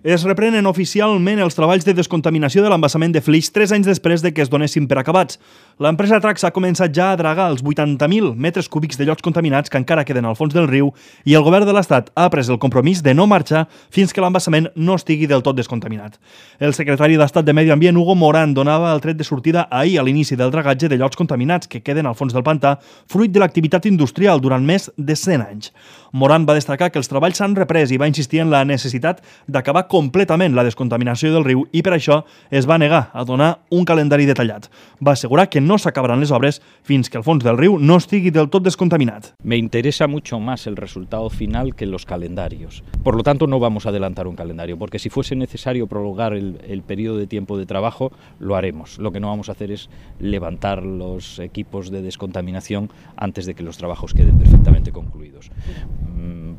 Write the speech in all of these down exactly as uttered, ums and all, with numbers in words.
Es reprenen oficialment els treballs de descontaminació de l'embassament de Flix tres anys després de que es donessin per acabats. L'empresa Traxa ha començat ja a dragar els vuitanta mil metres cúbics de llots contaminats que encara queden al fons del riu i el govern de l'Estat ha pres el compromís de no marxar fins que l'embassament no estigui del tot descontaminat. El secretari d'Estat de Medi Ambient, Hugo Morán, donava el tret de sortida ahir a l'inici del dragatge de llots contaminats que queden al fons del pantà, fruit de l'activitat industrial durant més de cent anys. Morán va destacar que els treballs s'han reprès i va insistir en la necessitat d'acabar completament la descontaminació del riu i per això es va negar a donar un calendari detallat. Va assegurar que no s'acabaran les obres fins que el fons del riu no estigui del tot descontaminat. Me interesa mucho más el resultado final que los calendarios. Por lo tanto, no vamos a adelantar un calendario, porque si fuese necesario prolongar el, el periodo de tiempo de trabajo, lo haremos. Lo que no vamos a hacer es levantar los equipos de descontaminación antes de que los trabajos queden perfectamente concluidos.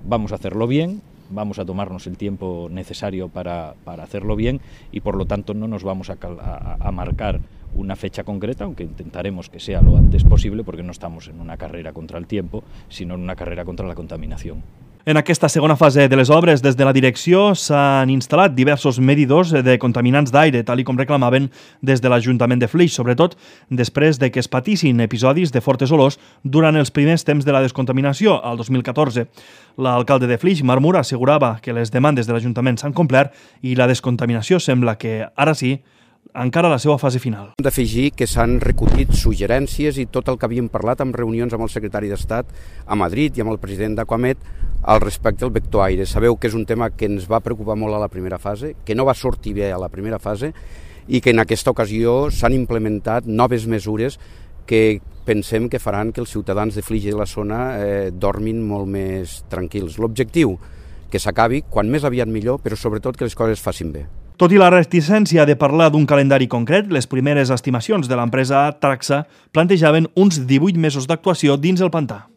Vamos a hacerlo bien, vamos a tomarnos el tiempo necesario para, para hacerlo bien y por lo tanto no nos vamos a, a, a marcar una fecha concreta, aunque intentaremos que sea lo antes posible porque no estamos en una carrera contra el tiempo, sino en una carrera contra la contaminación. En aquesta segona fase de les obres, des de la direcció s'han instal·lat diversos medidors de contaminants d'aire, tal i com reclamaven des de l'Ajuntament de Flix, sobretot després de que es patissin episodis de fortes olors durant els primers temps de la descontaminació, al dos mil catorze. L'alcalde de Flix, Marc Mur, assegurava que les demandes de l'Ajuntament s'han complert i la descontaminació sembla que, ara sí, encara la seva fase final. Hem d'afegir que s'han recollit suggerències i tot el que havíem parlat en reunions amb el secretari d'Estat a Madrid i amb el president d'Aquamet al respecte del vector aire. Sabeu que és un tema que ens va preocupar molt a la primera fase, que no va sortir bé a la primera fase i que en aquesta ocasió s'han implementat noves mesures que pensem que faran que els ciutadans de Flix i de la zona eh, dormin molt més tranquils. L'objectiu, que s'acabi, quan més aviat millor, però sobretot que les coses facin bé. Tot i la reticència de parlar d'un calendari concret, les primeres estimacions de l'empresa Traxa plantejaven uns divuit mesos d'actuació dins el pantà.